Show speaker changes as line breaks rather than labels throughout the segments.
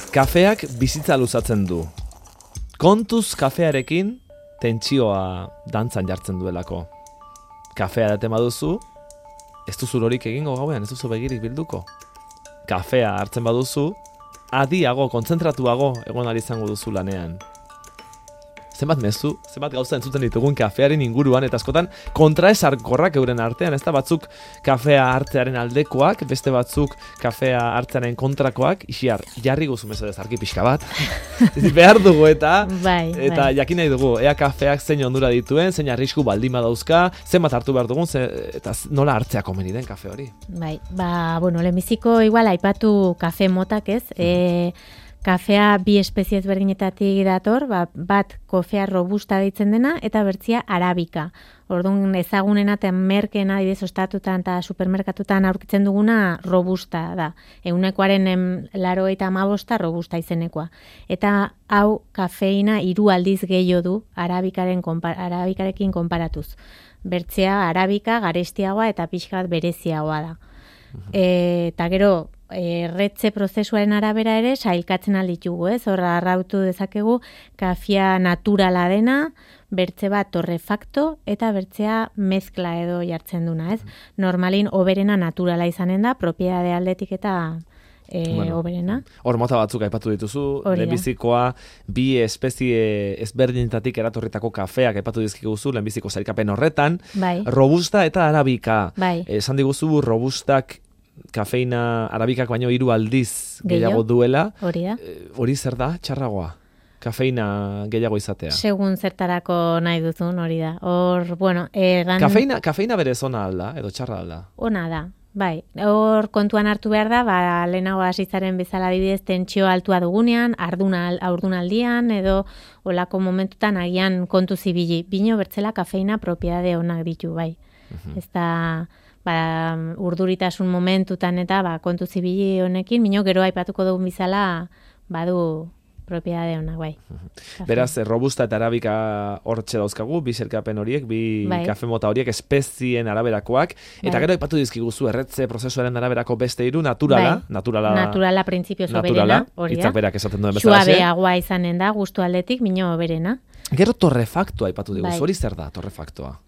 Kafeak bizitza luzatzen du. Kontuz kafearekin tentsioa dantzan jartzen duelako. Kafea daten baduzu, ez duzu lorik egingo gauean, ez duzu begirik bilduko. Kafea hartzen baduzu, adiago, kontzentratuago egon ari izango duzu lanean. Zenbat mezu, zenbat gauza entzuten ditugun kafearen inguruan, eta askotan kontraesarkorrak euren artean, ez da batzuk kafea hartzearen aldekoak, beste batzuk kafea hartzearen kontrakoak, isiar, jarri guzu mesedez argi pixka bat, behar dugu eta jakin nahi dugu, ea kafeak zein ondura dituen, zein arrisku baldin badauzka, zenbat hartu behar dugun, eta nola hartzea komeni den kafe hori.
Lehenbiziko igual aipatu kafe motak ez, kafea bi espezie ezberdinetatik dator, bat kofea robusta deitzen dena eta bertzia arabika. Orduan ezagunena eta merkeena adibidez ostatutan eta supermerkatutan aurkitzen duguna robusta da. 95% robusta izenekoa. Eta hau kafeina 3 aldiz gehiago du arabikarekin konparatuz. Bertzea arabika garestiagoa eta pixka bat bereziagoa da. Eta gero erretze prozesuaren arabera ere sailkatzen alditugu, ez? Horra arrautu dezakegu kafea naturala dena, bertze bat torrefakto eta bertzea mezkla edo jartzen duna, ez? Normalin oberena naturala izanen da, propiedade aldetik eta oberena.
Hor mota batzuk aipatu dituzu, lehenbizikoa bi espezie ezberdinetatik eratorritako kafeak aipatu dizkiguzu, lehenbiziko sailkapen horretan, robusta eta arabika. Esan diguzu robustak kafeina arabikak baino 3 aldiz gehiago duela. Hori zer da, txarragoa? Kafeina gehiago izatea.
Segun zertarako nahi duzun, hori da.
Kafeina berez ona alda, edo txarra alda?
Ona da, bai. Hor kontuan hartu behar da, lehenago hasitzaren bezala adibidez tentsio altua dugunean, haurdunaldian, edo olako momentutan agian kontu zibili. Bino bertzela kafeina propiedade onak ditu, bai. Ez da urduritasun momentutan eta kontu zibili honekin, bino gero aipatuko dugun bizala badu propiedade honak, bai.
Beraz, robusta eta arabika hortxe dauzkagu, bi zerkapen horiek, bi kafe mota horiek espezien araberakoak, eta gero aipatu dizkiguzu erretze prozesuaren araberako beste 3, naturala printzipioz oberena, hori da. Hitzak berak esaten duen bezala.
Suabeagoa izanen da, gustu aldetik, bino oberena.
Gero torrefaktoa aipatu diguzu, hori zer da torrefaktoa?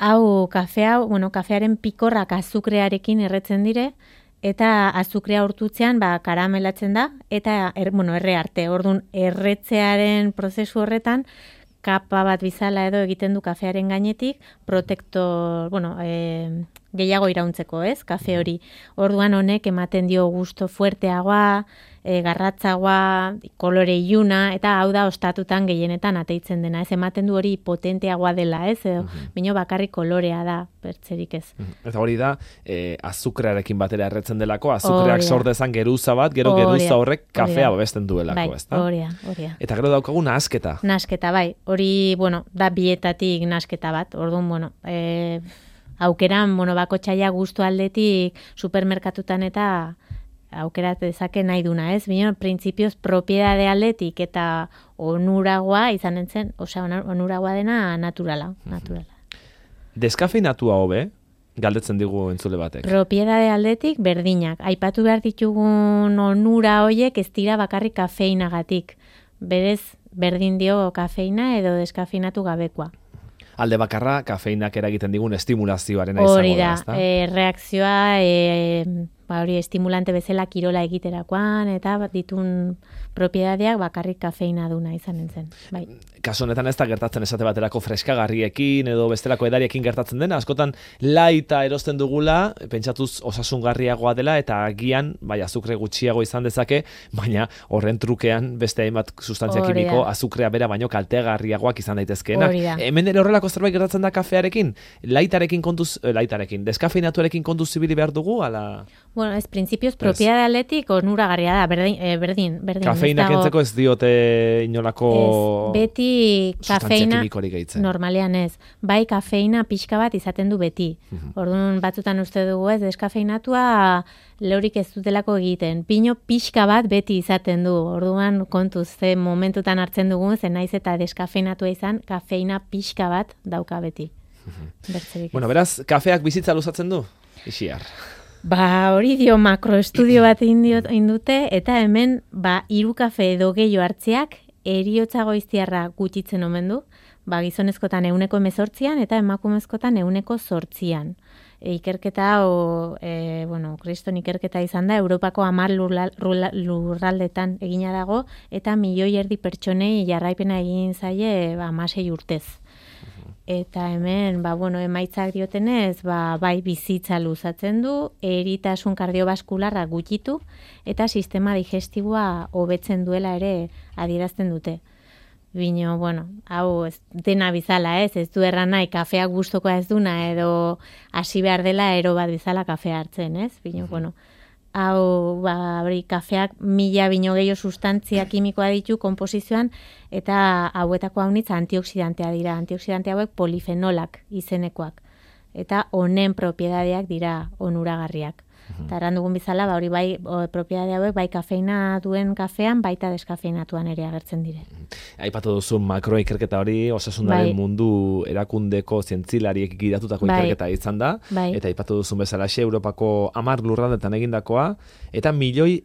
Kafearen pikorrak azukrearekin erretzen dire, eta azukrea urtutzean karamelatzen da, eta erre arte. Orduan, erretzearen prozesu horretan, kapa bat bizala edo egiten du kafearen gainetik, protektor, gehiago irauntzeko, ez, kafe hori. Orduan honek ematen dio gusto fuerteagoa, garratzagoa, kolore iluna, eta hau da ostatutan gehienetan ateitzen dena, ez, ematen du hori potenteagoa dela, ez, edo, bino bakarrik kolorea da, bertzerik ez.
Eta hori da, azukrearekin batera erretzen delako, azukreak sordezan geruza bat, gero geruza horrek kafea babesten duelako, ez da?
Hori da.
Eta gero daukagu nahasketa.
Nahasketa, bai, hori, da bietatik nahasketa bat, orduan, aukeran, bakotxaia gustu aldetik supermerkatutan eta aukerat dezake nahi duna, ez? Bino, printzipioz, propiedade aldetik eta onuragoa izanen zen, onuragoa dena naturala.
Deskafeinatua hobe, galdetzen digu entzule batek.
Propiedade aldetik berdinak. Aipatu behar ditugun onura hoiek ez dira bakarrik kafeinagatik. Berez, berdin dio kafeina edo deskafeinatu gabekoa.
Alde bakarra, kafeinak eragiten digun estimulazioaren izango da, ezta?
Reakzioa, hori estimulante bezala kirola egiterakoan, eta ditun propiedadeak bakarrik kafeina duna izanen zen. Bai.
Kasu honetan ez da gertatzen esate baterako freskagarriekin edo bestelako edariekin gertatzen dena, askotan laita erosten dugula, pentsatuz osasungarriagoa dela, eta agian, azukre gutxiago izan dezake, baina horren trukean beste hainbat sustantzia kimiko azukrea bera baino kaltegarriagoak izan daitezkeenak. Hemen ere horrelako zerbait gertatzen da kafearekin? Deskafeinatuarekin kontuz zibili behar dugu, ala?
Ez printzipioz, propiedade aldetik onuragarria da, berdin.
Kafeina kentzeko ez diote inolako
beti kafeina, normalean ez. Bai, kafeina pixka bat izaten du beti. Orduan batzutan uste dugu ez, deskafeinatua leurik ez dutelako egiten. Pino pixka bat beti izaten du. Orduan kontuz, ze momentutan hartzen dugu, ze naiz eta deskafeinatua izan, kafeina pixka bat dauka beti.
Beraz, kafeak bizitza luzatzen du? Isiar.
Hori dio makroestudio bat indute, eta hemen, 3 kafe edo gehiago hartziak, heriotza goiztiarra gutxitzen omen du, gizonezkotan 18an eta emakumezkotan 8%. Ikerketa hau, kriston ikerketa izan da, Europako 10 lurraldetan egina dago, eta 1,5 milioi pertsonei jarraipena egin zaie 16 urtez. Eta hemen, emaitzak diotenez, bai bizitza luzatzen du, eritasun kardiobaskularra gutxitu, eta sistema digestiboa hobetzen duela ere adierazten dute. Bino, hau ez dena bizala, ez du erran nahi kafea gustokoa ez duna, edo hasi behar dela ero bat bizala kafea hartzen, ez? Bino, hau, kafeak 1000 bino gehiago sustantzia kimikoa ditu komposizioan, eta hauetako haunitza antioxidantea dira. Antioxidante hauek polifenolak izenekoak. Eta honen propiedadeak dira onuragarriak. Eta erran dugun bizala, hori bai, propiedade hauek, bai kafeina duen kafean, baita deskafeinatuan ere agertzen dire.
Aipatu duzu makroikerketa hori, osasunaren mundu erakundeko zientzilariek gidatutako ikerketa izan da, eta aipatu duzun bezalaxe Europako 10 lurraldetan egindakoa, eta 1,5 milioi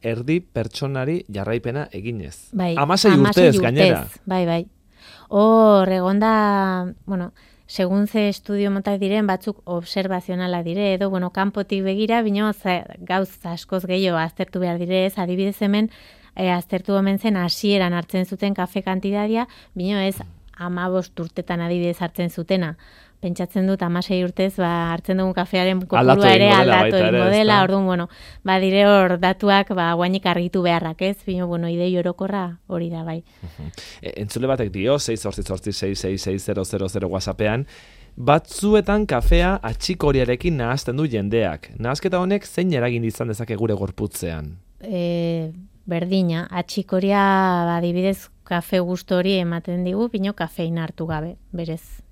pertsonari jarraipena eginez. 16 urtez gainera. Bai.
Hor, egonda, segun ze estudio motak diren, batzuk observazionala dire, edo, kanpotik begira, bino, gauz askoz gehiago aztertu behar dire, ez, adibidez hemen, aztertu omen zen hasieran hartzen zuten kafe kantidadia, bino ez 15 urtetan adibidez hartzen zutena. Pentsatzen dut 16 urtez hartzen dugun kafearen kopurua ere aldatu egingo dela, orduan, dire hor datuak guainik argitu beharrak, ez? Bino, idei orokorra hori da, bai.
Entzule batek dio, 688-666-000 WhatsAppean, batzuetan kafea atxikoriarekin nahazten du jendeak. Nahazketa honek zein eragin izan dezake gure gorputzean?
Berdina, atxikoria adibidez kafe gustu hori ematen digu, bino kafeina hartu gabe, berez.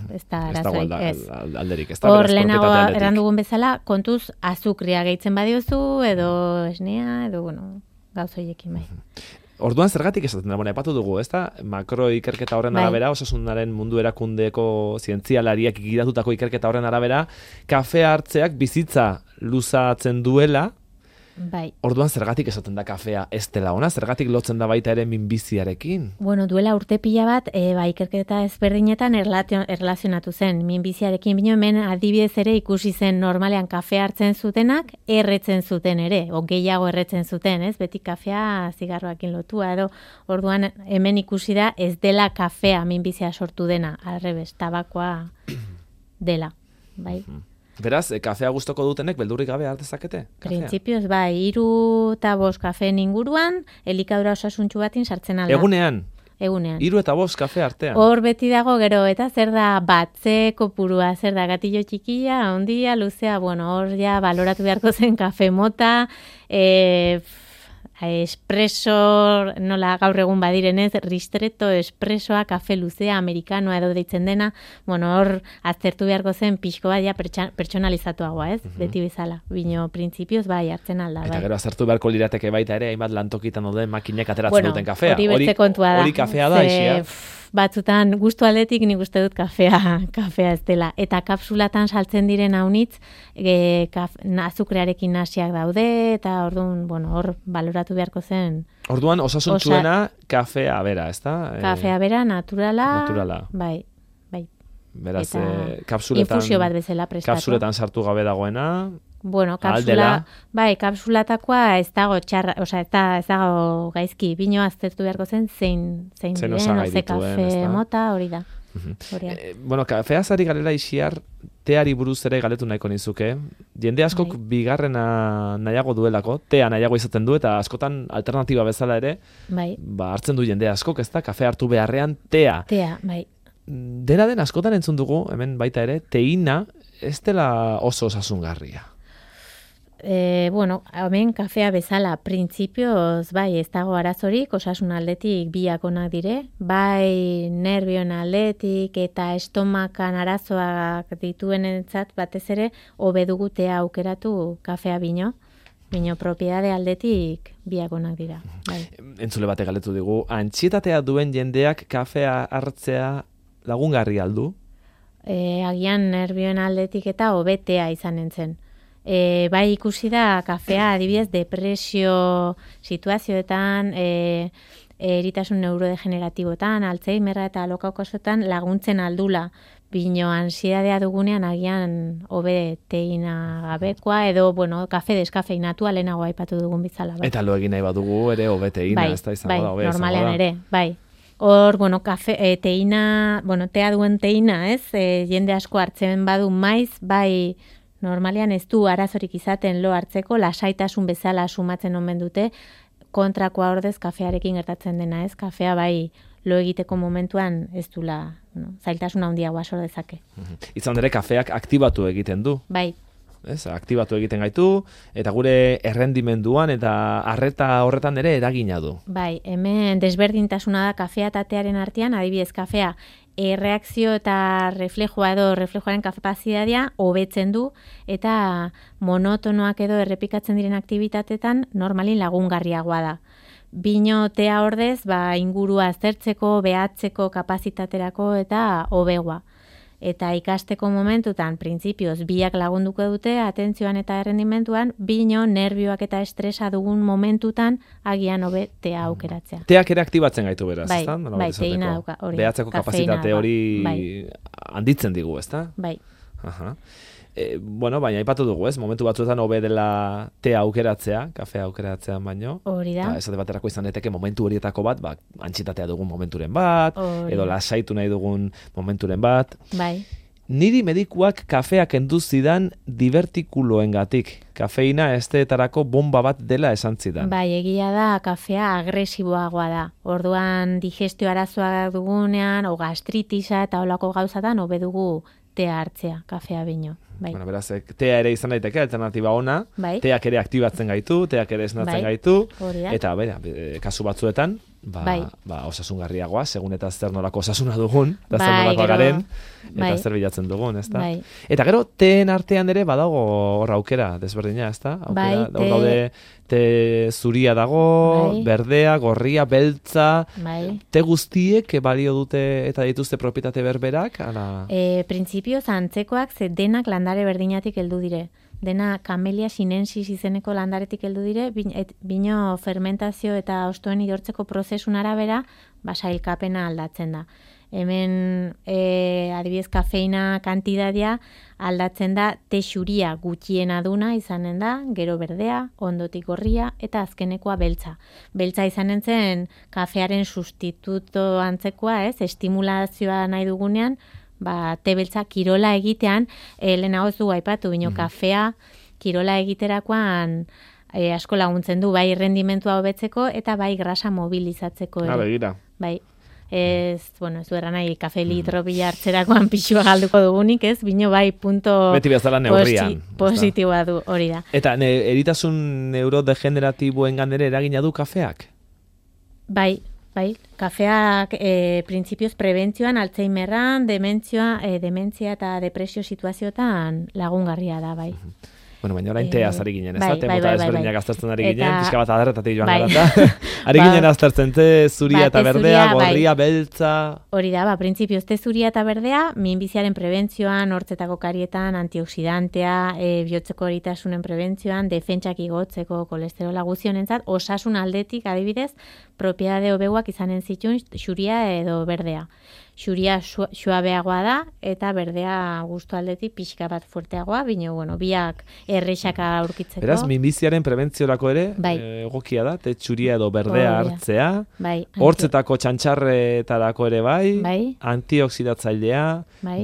Ez da arazoik, ez.
Alderik, ez da
beraz
propietatea aldetik.
Hor lehenago errandugun bezala, kontuz azukria gehitzen badiozu, edo esnea, edo, gauzoiekin bai.
Orduan zergatik esaten da, epatu dugu, ez da? Makroikerketa horren arabera, osasunaren mundu erakundeko zientzialariak gidatutako ikerketa horren arabera, kafea hartzeak bizitza luzatzen duela.
Bai.
Orduan zergatik esaten da kafea ez dela ona, zergatik lotzen da baita ere minbiziarekin?
Duela urte pila bat, ikerketa ezberdinetan erlazionatu zen minbiziarekin, bino hemen adibidez ere ikusi zen normalean kafea hartzen zutenak, erretzen zuten ere, gehiago erretzen zuten, ez? Beti kafea zigarroakin lotua, edo orduan hemen ikusi da ez dela kafea minbizia sortu dena, arrebes, tabakoa dela, bai.
Beraz, kafea gustoko dutenek beldurrik gabe hartezakete?
Printzipioz, 3 eta 5 kafeen inguruan, elikadura osasuntsu batin sartzen alda.
Egunean?
Egunean.
3 eta 5 kafe artean?
Hor beti dago gero, eta zer da batze kopurua, zer da gatillo txikia, ondia, luzea, hor ja baloratu beharko zen kafe mota, espresso, nola gaur egun badirenez, ristretto, espressoa, kafe luzea, amerikanoa edo deitzen dena, hor aztertu beharko zen pixko bat ja pertsonalizatuagoa, ez? Beti bezala. Bino, printzipioz hartzen alda.
Eta gero aztertu beharko lirateke baita ere, hainbat lantokitan duten makinek ateratzen duten kafea.
Hori beste kontua da.
Hori kafea da, isia?
Batzutan, gustu aldetik nik uste dut kafea ez dela. Eta kapsulatan saltzen diren haunitz, azukrearekin nasiak daude, eta orduan, hor baloratu beharko zen.
Orduan, osasuntsuena kafea bera, ez da?
Kafea bera, naturala. Bai.
Beraz, kapsuletan...
Infusio bat bezala prestatu.
Kapsuletan sartu gabe dagoena...
kapsulatakoa ez dago txarra, ez dago gaizki, bino aztertu beharko zen zein diren, ze kafe mota, hori da.
Kafeaz ari galera isiar, teari buruz ere galetu nahiko nizuke. Jende askok bigarrena nahiago duelako, tea nahiago izaten du, eta askotan alternatiba bezala ere, hartzen du jende askok, ez da, kafe hartu beharrean tea.
Tea, bai.
Dena den askotan entzun dugu, hemen baita ere, teina ez dela oso osasungarria.
Hemen kafea bezala, printzipioz, ez dago arazorik, osasun aldetik biak onak dire, nervioen aldetik eta estomakan arazoak dituenentzat batez ere, hobe dugu tea aukeratu kafea bino propiedade aldetik biak onak dira.
Entzule batek galetu digu, antsietatea duen jendeak kafea hartzea lagungarri aldu?
Agian nervioen aldetik eta hobetea izanen zen. Bai ikusi da kafea adibidez depresio situazioetan, eritasun neurodegeneratibotan, Alzheimerra eta alokaukasotan laguntzen aldula. Bino ansiedadea dugunean agian hobe teina gabekoa edo, kafe deskafeinatua lehenago aipatu dugun bizala. Bai.
Eta lo egin nahi badugu ere hobe teina, ez da izango da, hobe izango da.
Normalean ere, bai. Hor, kafe, teina, tea duen teina, ez? Jende asko hartzen badu maiz, bai, normalean ez du arazorik izaten lo hartzeko, lasaitasun bezala sumatzen omen dute, kontrakoa ordez kafearekin gertatzen dena, ez? Kafea bai lo egiteko momentuan ez dula, zailtasun handiagoa sor dezake.
Izan ere kafeak aktibatu egiten du.
Bai.
Ez, aktibatu egiten gaitu, eta gure errendimenduan eta arreta horretan ere eragina du.
Bai, hemen desberdintasuna da kafea eta tearen artean, adibidez kafea erreakzio eta reflejoaren kapazitatea hobetzen du eta monotonoak edo errepikatzen diren aktibitatetan normalin lagungarriagoa da. Bino tea ordez, ingurua aztertzeko, behatzeko kapazitaterako eta hobegoa. Eta ikasteko momentutan, printzipioz, biak lagunduko dute, atentzioan eta errendimentuan, bino nervioak eta estresa dugun momentutan, agian hobe tea aukeratzea.
Teak ere aktibatzen gaitu beraz,
bai,
ezta?
Bai, teina dauka, hori.
Behatzeko kapazitate hori handitzen digu, ezta?
Bai.
Aha. Baina aipatu dugu, ez? Momentu batzuetan hobe dela tea aukeratzea, kafea aukeratzean baino.
Hori da.
Esate baterako izan daiteke momentu horietako bat, antxitatea dugun momenturen bat, edo lasaitu nahi dugun momenturen bat.
Bai.
Niri medikuak kafea kendu zidan divertikuloengatik. Kafeina esteetarako bomba bat dela esan zidan.
Bai, egia da, kafea agresiboagoa da. Orduan digestio arazoa dugunean, o gastritisa eta olako gauzatan, hobe dugu tea hartzea, kafea bino. Bai.
Bueno, beraz, tea ere izan daiteke, alternatiba ona,
bai.
Teak ere aktibatzen gaitu, teak ere esnatzen gaitu,
Horiak.
eta kasu batzuetan, osasungarriagoa, segun eta zer nolako osasuna dugun, eta zer nolako garen, eta zer bilatzen dugun, ezta?
Bai.
Eta gero, teen artean ere badago hor aukera, desberdina, ezta? Aukera, daude te zuria dago, berdea, gorria, beltza, te guztiek balio dute eta dituzte propietate berberak?
Printzipioz antzekoak ze denak landare berdinatik heldu dire. Dena Camellia sinensis izeneko landaretik heldu dire, bino fermentazio eta hostoen idortzeko prozesun arabera, sailkapena aldatzen da. Hemen adibidez kafeina kantidadia aldatzen da texuria gutxiena duna izanen da, gero berdea, ondotik gorria eta azkenekoa beltza. Beltza izanen zen kafearen sustituto antzekoa, estimulazioa nahi dugunean, te beltza kirola egitean, lehenago ez du aipatu, bino kafea kirola egiterakoan asko laguntzen du, bai rendimentua hobetzeko eta bai grasa mobilizatzeko.
Begira.
Bai. Ez du eran nahi, kafe litro bila hartzerakoan pixua galduko dugunik, ez? Bino bai punto
beti bezala neurrian.
Positiboa du, hori da.
Eta eritasun neurodegeneratiboengan ere eragina du kafeak?
Bai, kafeak printzipioz prebentzioan, Alzheimerran, dementzia eta depresio situazioetan lagungarria da, bai.
Bueno, baina orain tea ari ginen, ez da? Temota ezberdinak aztertzen ari ginen, pixka bat adarretatik joan gara. Ari ginen aztertzen te zuria eta berdea, gorria, beltza...
Hori da, printzipioz te zuria eta berdea, minbiziaren prebentzioan, hortzetako karietan, antioxidantea, bihotzeko eritasunen prebentzioan, defentsak igotzeko kolesterola guzionentzat, osasun aldetik adibidez, propiedade hobeguak izanen zituen xuria edo berdea. Xuria suabeagoa da eta berdea gustu aldetik pixka bat fuerteagoa, bino, biak errexaka aurkitzeko.
Beraz, minbiziaren prebentziorako ere, egokia da, te txuria edo berdea hartzea, hortzetako txantxarretarako ere bai, antioxidatzailea,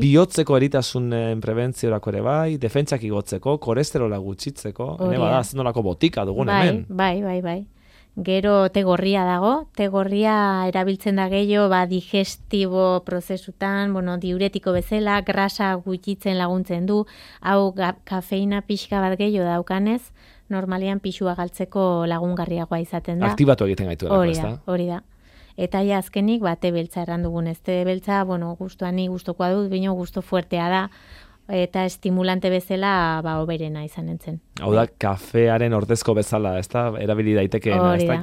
bihotzeko eritasunen prebentziorako ere bai, defentsak igotzeko, kolesterola gutxitzeko, zenolako botika dugun hemen.
Bai. Gero te gorria dago, te gorria erabiltzen da gehiago digestibo prozesutan, diuretiko bezala, grasa gutxitzen laguntzen du, hau kafeina pixka bat gehiago daukanez, normalian pixua galtzeko lagungarriagoa izaten da.
Aktibatu egiten gaitu erako, ez da?
Hori da. Eta azkenik, te beltza erran dugun, ez te beltza, gustuani gustokoa dut, bino gusto fuertea da, eta estimulante bezala oberena izan entzen.
Hau da, kafearen ordezko bezala, ez da, erabili daitekeena, ez da,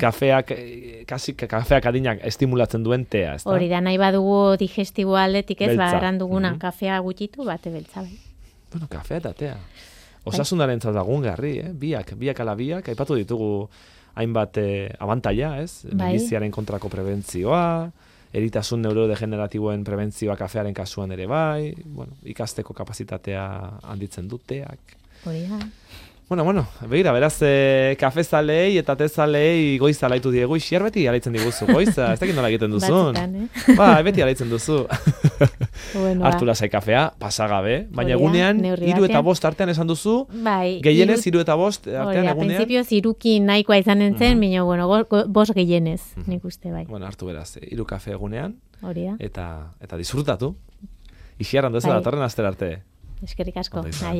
kafeak adinak estimulatzen duen tea, ez da?
Hori da, nahi badugu digestibo aldetik ez, erran duguna kafea gutxitu, te beltza bai.
Bueno, kafea eta tea. Osasunaren lagungarri, biak ala biak, aipatu ditugu hainbat abantaila, ez? Minbiziaren kontrako prebentzioa, eritasun neurodegeneratiboen prebentzioa kafearen kasuan ere bai, bueno, ikasteko kapazitatea handitzen duteak.
Hori da.
Bueno, begira, beraz, kafezalei eta tezalei goiza alaitu diegu, isier beti alaitzen diguzu, goiza, ez dakit nola egiten duzun.
Batzutan,
Beti alaitzen duzu.
Bueno,
Hartu lasai kafea, pasagabe, baina egunean, 3 eta 5 artean esan duzu, gehienez 3 eta 5 artean egunean.
Principio ziruki nahikoa izanen zen, baina, bueno, 5 gehienez, nik uste bai.
Bueno, hartu beraz, 3 kafe egunean,
Hori da.
eta disfrutatu. Isiar handu ez da, datorren astera arte.
Eskerrik asko.
Ondo izan.